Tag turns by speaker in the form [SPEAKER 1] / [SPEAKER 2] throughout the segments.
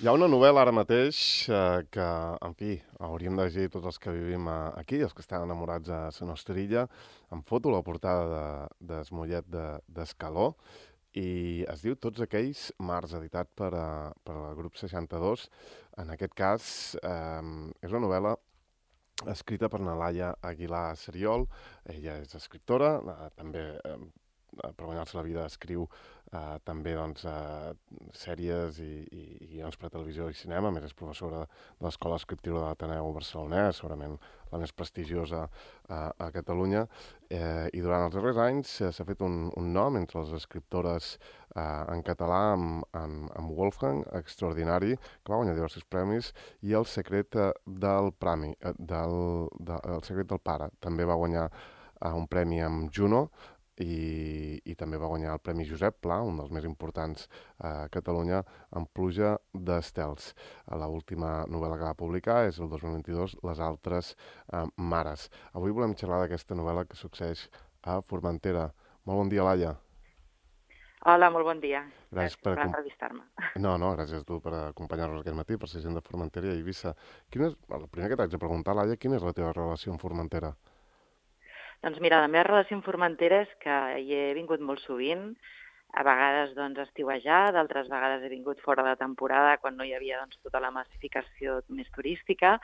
[SPEAKER 1] Hi ha una novel·la ara mateix que, en fi, hauríem de llegir tots els que vivim aquí, els que estan enamorats de la nostra illa. Em foto la portada del Mollet d'Escaló i es diu Tots aquells mars, editat per al grup 62. En aquest cas, és una novel·la escrita per na Laia Aguilar Seriol. Ella és escriptora, també per guanyar-se la vida escriu també doncs, sèries i guions per a televisió i cinema. A més, és professora de l'Escola Escriptiva de l'Ateneu Barcelonès, segurament la més prestigiosa a Catalunya. I durant els darrers anys s'ha fet un nom entre les escriptores en català amb Wolfgang, extraordinari, que va guanyar diversos premis, i El secret del Prami, El secret del pare. També va guanyar un premi amb Juno, i també va guanyar el Premi Josep Pla, un dels més importants a Catalunya, amb Pluja d'estels. L'última novel·la que va publicar és el 2022, Les altres mares. Avui volem xerrar d'aquesta novel·la que succeeix a Formentera. Molt bon dia, Laia.
[SPEAKER 2] Hola, molt bon dia.
[SPEAKER 1] Gràcies
[SPEAKER 2] Gràcies per entrevistar-me.
[SPEAKER 1] No, gràcies a tu per acompanyar-nos aquest matí, per ser gent de Formentera i Eivissa. El primer que t'haig de preguntar, Laia, quina és la teva relació amb Formentera?
[SPEAKER 2] Doncs mira, la meva relació amb Formentera és que hi he vingut molt sovint, a vegades doncs estiuejar, d'altres vegades he vingut fora de temporada quan no hi havia doncs, tota la massificació més turística,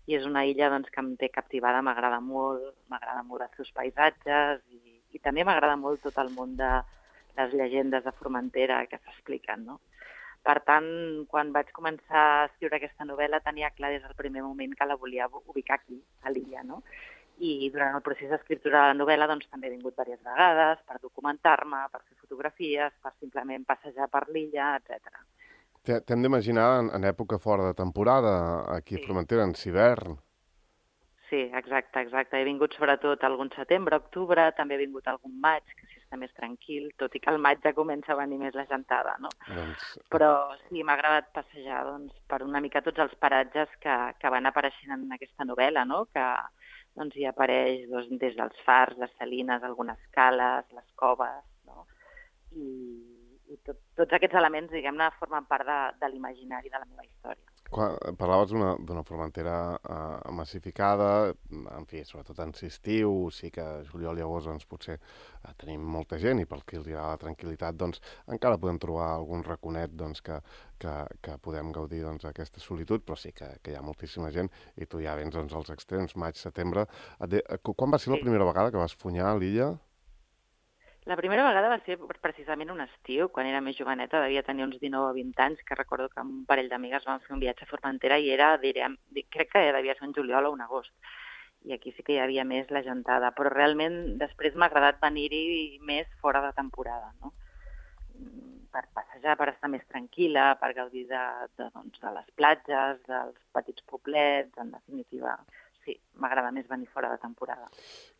[SPEAKER 2] i és una illa doncs, que em té captivada, m'agrada molt els seus paisatges i també m'agrada molt tot el món de les llegendes de Formentera que s'expliquen, no? Per tant, quan vaig començar a escriure aquesta novel·la tenia clar des del primer moment que la volia ubicar aquí, a l'illa, no? I durant el procés d'escriptura de la novel·la doncs, també he vingut diverses vegades per documentar-me, per fer fotografies, per simplement passejar per l'illa, etc.
[SPEAKER 1] T'hem d'imaginar en època fora de temporada, aquí a
[SPEAKER 2] Sí.
[SPEAKER 1] Formentera, en hivern.
[SPEAKER 2] Sí, exacte. He vingut sobretot algun setembre, octubre, també he vingut algun maig, que sí està més tranquil, tot i que al maig ja comença a venir més la gentada, no?
[SPEAKER 1] Doncs,
[SPEAKER 2] Però sí, m'ha agradat passejar doncs, per una mica tots els paratges que van apareixent en aquesta novel·la, no? Que doncs, hi apareix doncs, des dels fars, les salines, algunes cales, les coves, no? Tots aquests elements, diguem-ne, formen part de l'imaginari de la meva història.
[SPEAKER 1] Parlaves d'una Formentera massificada, en fi, sobretot en estiu, sí que juliol i agost doncs, potser tenim molta gent i pel que els agrada la tranquil·litat doncs, encara podem trobar algun raconet doncs, que podem gaudir doncs, d'aquesta solitud, però sí que hi ha moltíssima gent i tu ja vens doncs, als extrems, maig, setembre. Quan va ser la
[SPEAKER 2] Sí.
[SPEAKER 1] primera vegada que vas funyar a l'illa?
[SPEAKER 2] La primera vegada va ser precisament un estiu, quan era més joveneta, devia tenir uns 19 o 20 anys, que recordo que amb un parell d'amigues vam fer un viatge a Formentera i era, crec que devia ser un juliol o un agost. I aquí sí que hi havia més la gentada, però realment després m'ha agradat venir-hi més fora de temporada, no? Per passejar, per estar més tranquil·la, per gaudir de les platges, dels petits poblets, en definitiva. Sí, m'agrada més venir fora de temporada.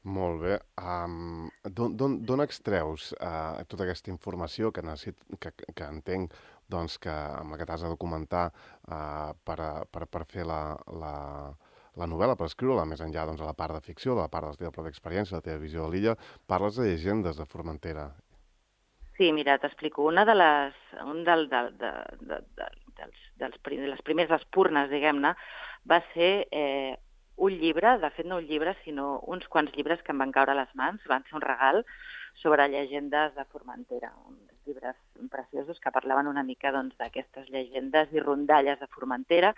[SPEAKER 1] Molt bé. D'on extreus tota aquesta informació que entenc doncs, que amb la que t'has de documentar per fer la novel·la, per escriure-la, més enllà doncs, de la part de ficció, de la part de la teva pròpia experiència, de la teva visió de l'illa, parles de llegendes de Formentera.
[SPEAKER 2] Sí, mira, t'explico. Una de les, un del, de les primeres espurnes, diguem-ne, va ser un llibre, de fet no un llibre, sinó uns quants llibres que em van caure a les mans, van ser un regal sobre llegendes de Formentera, uns llibres preciosos que parlaven una mica doncs, d'aquestes llegendes i rondalles de Formentera.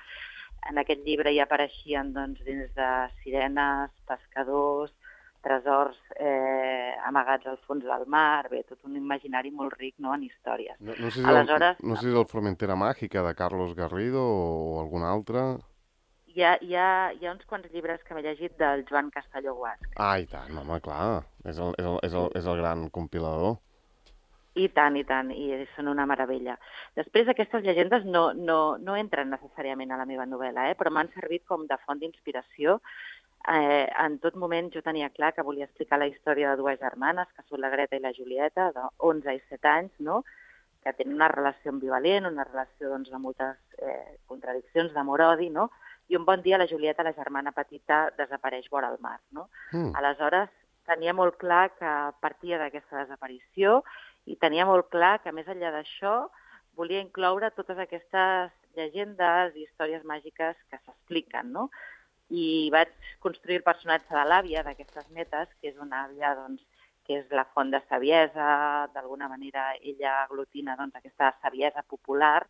[SPEAKER 2] En aquest llibre hi apareixien doncs, dins de sirenes, pescadors, tresors amagats al fons del mar, bé, tot un imaginari molt ric, no?, en històries.
[SPEAKER 1] No sé si
[SPEAKER 2] Aleshores,
[SPEAKER 1] no sé si és el Formentera Màgica de Carlos Garrido o algun altre.
[SPEAKER 2] hi ha uns quants llibres que m'he llegit del Joan Castelló Guasc.
[SPEAKER 1] Ah, i tant, home, clar.
[SPEAKER 2] Sí.
[SPEAKER 1] És el gran compilador.
[SPEAKER 2] I tant, i són una meravella. Després, aquestes llegendes no entren necessàriament a la meva novel·la, però m'han servit com de font d'inspiració. En tot moment jo tenia clar que volia explicar la història de dues germanes, que són la Greta i la Julieta, de 11 i 7 anys, no?, que tenen una relació ambivalent, una relació doncs, de moltes contradiccions, d'amor-odi, no?, i un bon dia la Julieta, la germana petita, desapareix vora el mar, no?
[SPEAKER 1] Mm.
[SPEAKER 2] Aleshores, tenia molt clar que partia d'aquesta desaparició i tenia molt clar que, més enllà d'això, volia incloure totes aquestes llegendes i històries màgiques que s'expliquen, no? I vaig construir el personatge de l'àvia d'aquestes netes, que és una àvia doncs, que és la font de saviesa, d'alguna manera ella aglutina doncs, aquesta saviesa popular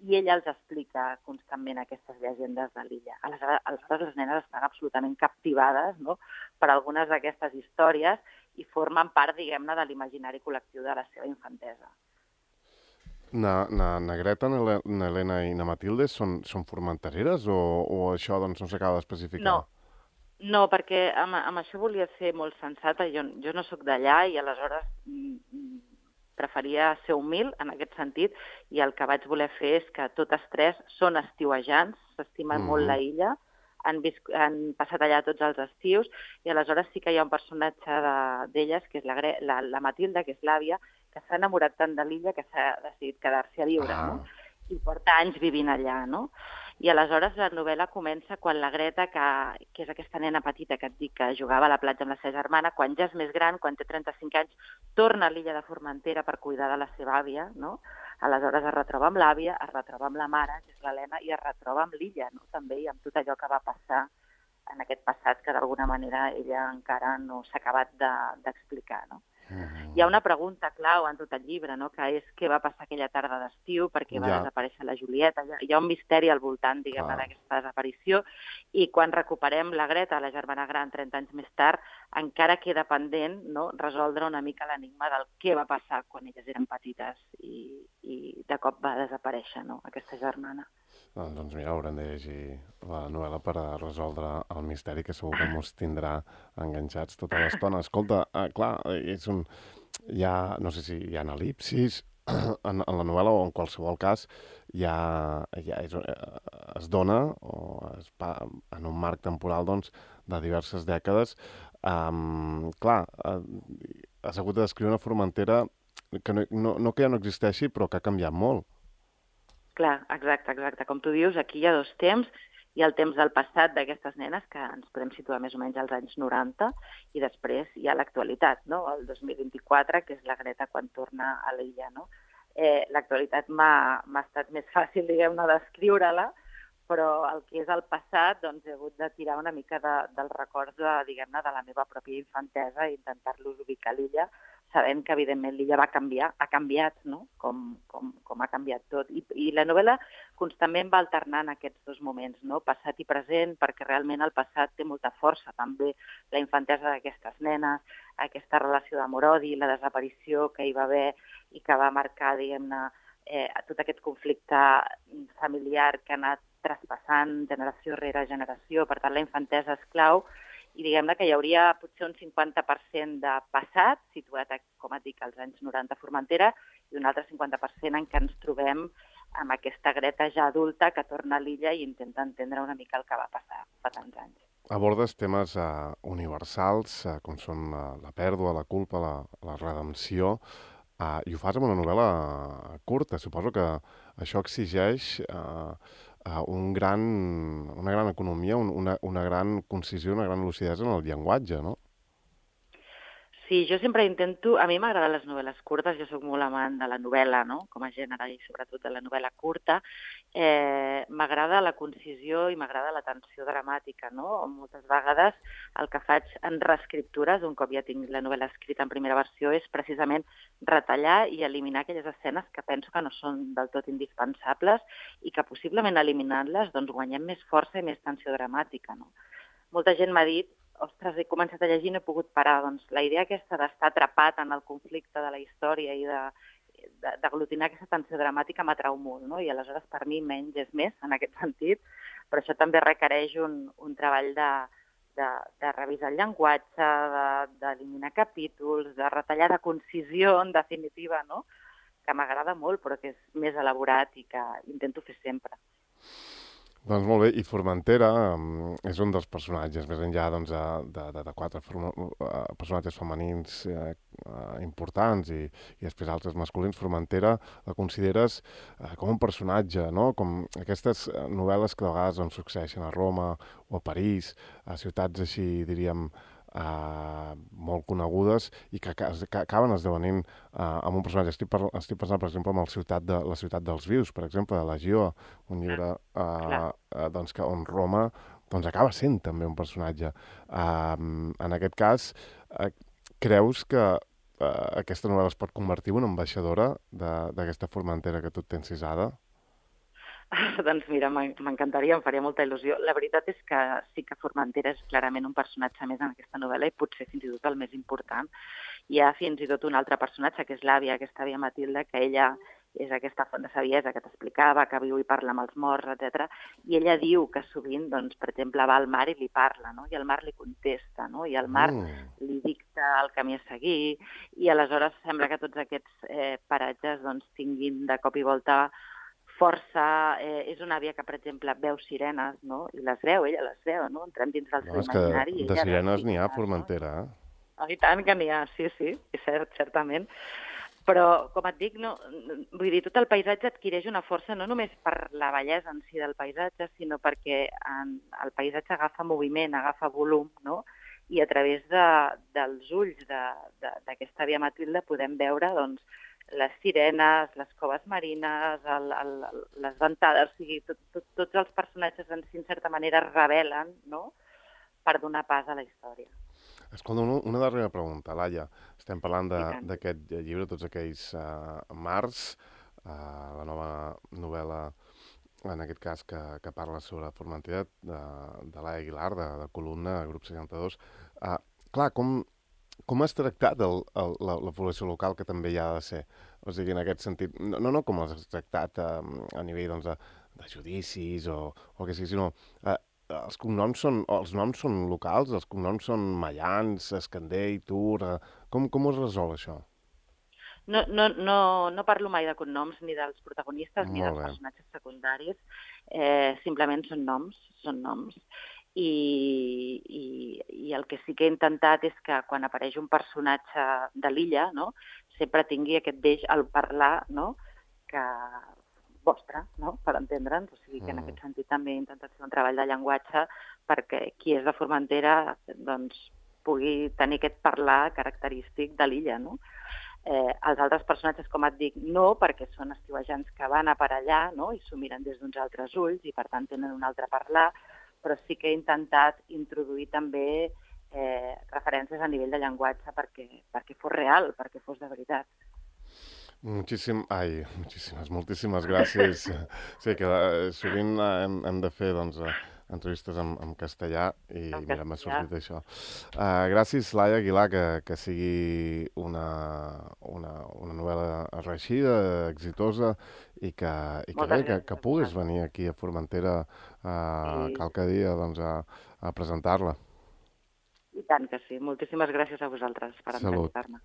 [SPEAKER 2] i ella els explica constantment aquestes llegendes de l'illa. Aleshores les nenes estan absolutament captivades, no?, per algunes d'aquestes històries i formen part, diguem-ne, de l'imaginari col·lectiu de la seva infantesa.
[SPEAKER 1] Na Greta, na Helena i na Matilde són formentereres o això doncs, no s'acaba d'especificar?
[SPEAKER 2] No, perquè amb això volia ser molt sensata. Jo no sóc d'allà i aleshores preferia ser humil en aquest sentit i el que vaig voler fer és que totes tres són estiuejants, s'estimen molt la illa, han passat allà tots els estius i aleshores sí que hi ha un personatge d'elles, que és la Matilda, que és l'àvia, que s'ha enamorat tant de l'illa que s'ha decidit quedar-s'hi a viure, no? I porta anys vivint allà, no? I aleshores la novel·la comença quan la Greta, que és aquesta nena petita que et dic que jugava a la platja amb la seva germana, quan ja és més gran, quan té 35 anys, torna a l'illa de Formentera per cuidar de la seva àvia, no? Aleshores es retroba amb l'àvia, es retroba amb la mare, que és l'Helena, i es retroba amb l'illa, no? També, i amb tot allò que va passar en aquest passat que d'alguna manera ella encara no s'ha acabat d'explicar, no? Hi ha una pregunta clau en tot el llibre, no?, que és què va passar aquella tarda d'estiu, perquè va desaparèixer la Julieta. Hi ha un misteri al voltant, diguem-ne, d'aquesta desaparició, i quan recuperem la Greta, la germana gran, 30 anys més tard, encara queda pendent, no?, resoldre una mica l'enigma del què va passar quan elles eren petites i de cop va desaparèixer, no?, aquesta germana.
[SPEAKER 1] Doncs mira, haurem de llegir la novel·la per a resoldre el misteri que segur que ens tindrà enganxats tota l'estona. Escolta, clar, no sé si hi ha el·lipsis en la novel·la o en qualsevol cas es dona en un marc temporal doncs, de diverses dècades. Clar, has hagut de descriure una Formentera que no que ja no existeixi, però que ha canviat molt.
[SPEAKER 2] Clar, exacte. Com tu dius, aquí hi ha dos temps. Hi ha el temps del passat d'aquestes nenes, que ens podem situar més o menys als anys 90, i després hi ha l'actualitat, no?, el 2024, que és la Greta quan torna a l'illa, no? L'actualitat m'ha estat més fàcil, diguem-ne, d'escriure-la, però el que és el passat, doncs he hagut de tirar una mica dels records, diguem-ne, de la meva pròpia infantesa i intentar-los ubicar a l'illa, sabent que, evidentment, l'illa va canviar, ha canviat, no?, com ha canviat tot. I la novel·la constantment va alternant aquests dos moments, no?, passat i present, perquè realment el passat té molta força, també la infantesa d'aquestes nenes, aquesta relació d'amor-odi, la desaparició que hi va haver i que va marcar, diguem-ne, tot aquest conflicte familiar que ha anat traspassant generació rere generació. Per tant, la infantesa és clau, i diguem-ne que hi hauria potser un 50% de passat, situat, com et dic, als anys 90 a Formentera, i un altre 50% en què ens trobem amb aquesta Greta ja adulta que torna a l'illa i intenta entendre una mica el que va passar fa tants anys.
[SPEAKER 1] Abordes temes universals, com són la pèrdua, la culpa, la redempció, i ho fas amb una novel·la curta. Suposo que això exigeix una gran economia, una gran concisió, una gran lucidesa en el llenguatge, no?
[SPEAKER 2] Sí, jo sempre intento... A mi m'agraden les novel·les curtes, jo sóc molt amant de la novel·la, no?, com a gènere, i sobretot de la novel·la curta. M'agrada la concisió i m'agrada la tensió dramàtica, no? Moltes vegades el que faig en reescriptures, un cop ja tinc la novel·la escrita en primera versió, és precisament retallar i eliminar aquelles escenes que penso que no són del tot indispensables i que possiblement eliminant-les doncs, guanyem més força i més tensió dramàtica, no? Molta gent m'ha dit: ostres, he començat a llegir i no he pogut parar. Doncs la idea aquesta d'estar atrapat en el conflicte de la història i d'aglutinar aquesta tensió dramàtica m'atrau molt, no? I aleshores per mi menys és més en aquest sentit, però això també requereix un treball de revisar el llenguatge, d'eliminar capítols, de retallar, de concisió, en definitiva, no?, que m'agrada molt, però que és més elaborat i que intento fer sempre.
[SPEAKER 1] Doncs molt bé, i Formentera és un dels personatges, més enllà doncs, de quatre personatges femenins importants i després altres masculins. Formentera la consideres com un personatge, no? Com aquestes novel·les que de vegades doncs, succeeixen a Roma o a París, a ciutats així, diríem, molt conegudes i que acaben esdevenint amb un personatge. Estic pensant, per exemple, en la ciutat dels vius, per exemple, de Legió, un llibre doncs, on Roma doncs, acaba sent també un personatge. En aquest cas, creus que aquesta novel·la es pot convertir en una ambaixadora d'aquesta Formentera que tu tens cisada?
[SPEAKER 2] Doncs mira, m'encantaria, em faria molta il·lusió. La veritat és que sí que Formentera és clarament un personatge més en aquesta novel·la i potser fins i tot el més important. Hi ha fins i tot un altre personatge, que és l'àvia, aquesta àvia Matilda, que ella és aquesta font de saviesa que t'explicava, que viu i parla amb els morts, etc. I ella diu que sovint, doncs, per exemple, va al mar i li parla, no? I el mar li contesta, no? I el mar li dicta el camí a seguir, i aleshores sembla que tots aquests paratges doncs, tinguin de cop i volta força. És una àvia que, per exemple, veu sirenes, no? I les veu, ella les veu, no? Entrem dins del seu imaginari.
[SPEAKER 1] És que de sirenes n'hi ha a Formentera, eh?
[SPEAKER 2] Oh, i tant que n'hi ha, sí, és cert, certament. Però, com et dic, no, vull dir, tot el paisatge adquireix una força no només per la bellesa en si del paisatge, sinó perquè el paisatge agafa moviment, agafa volum, no? I a través dels ulls d'aquesta àvia Matilda podem veure, doncs, les sirenes, les coves marines, les ventades, o sigui, tots els personatges en si, en certa manera, es revelen, no?, per donar pas a la història.
[SPEAKER 1] Escolta, una darrera pregunta, Laia. Estem parlant d'aquest llibre, Tots aquells mars, la nova novel·la, en aquest cas, que parla sobre Formentera, de Laia Aguilar, de Columna, Grup 62. Clar, com has tractat la població local, que també hi ha de ser? O sigui, en aquest sentit, no com has tractat a nivell doncs, de judicis o el que sigui, sinó els noms són locals, els cognoms són Mallans, Escandell, Tur... Com es resol això?
[SPEAKER 2] No parlo mai de cognoms ni dels protagonistes ni dels personatges secundaris, simplement són noms. I el que sí que he intentat és que quan apareix un personatge de l'illa, no, sempre tingui aquest deix al parlar, no, que vostre, no?, per entendre'ns. O sigui que en aquest sentit també he intentat fer un treball de llenguatge perquè qui és de Formentera doncs, pugui tenir aquest parlar característic de l'illa, no? Els altres personatges, com et dic, no, perquè són estiuejants que van a per allà, no?, i s'ho miren des d'uns altres ulls i per tant tenen un altre parlar, però sí que he intentat introduir també referències a nivell de llenguatge perquè fos real, perquè fos de veritat.
[SPEAKER 1] Moltíssimes gràcies. Sí, que sovint hem de fer doncs, entrevistes en castellà i mira, m'ha sortit això. Gràcies, Laia Aguilar, que sigui una novel·la reeixida, exitosa i que puguis venir aquí a Formentera qualque dia doncs, a presentar-la.
[SPEAKER 2] I tant que sí. Moltíssimes gràcies a vosaltres per entrevistar-me.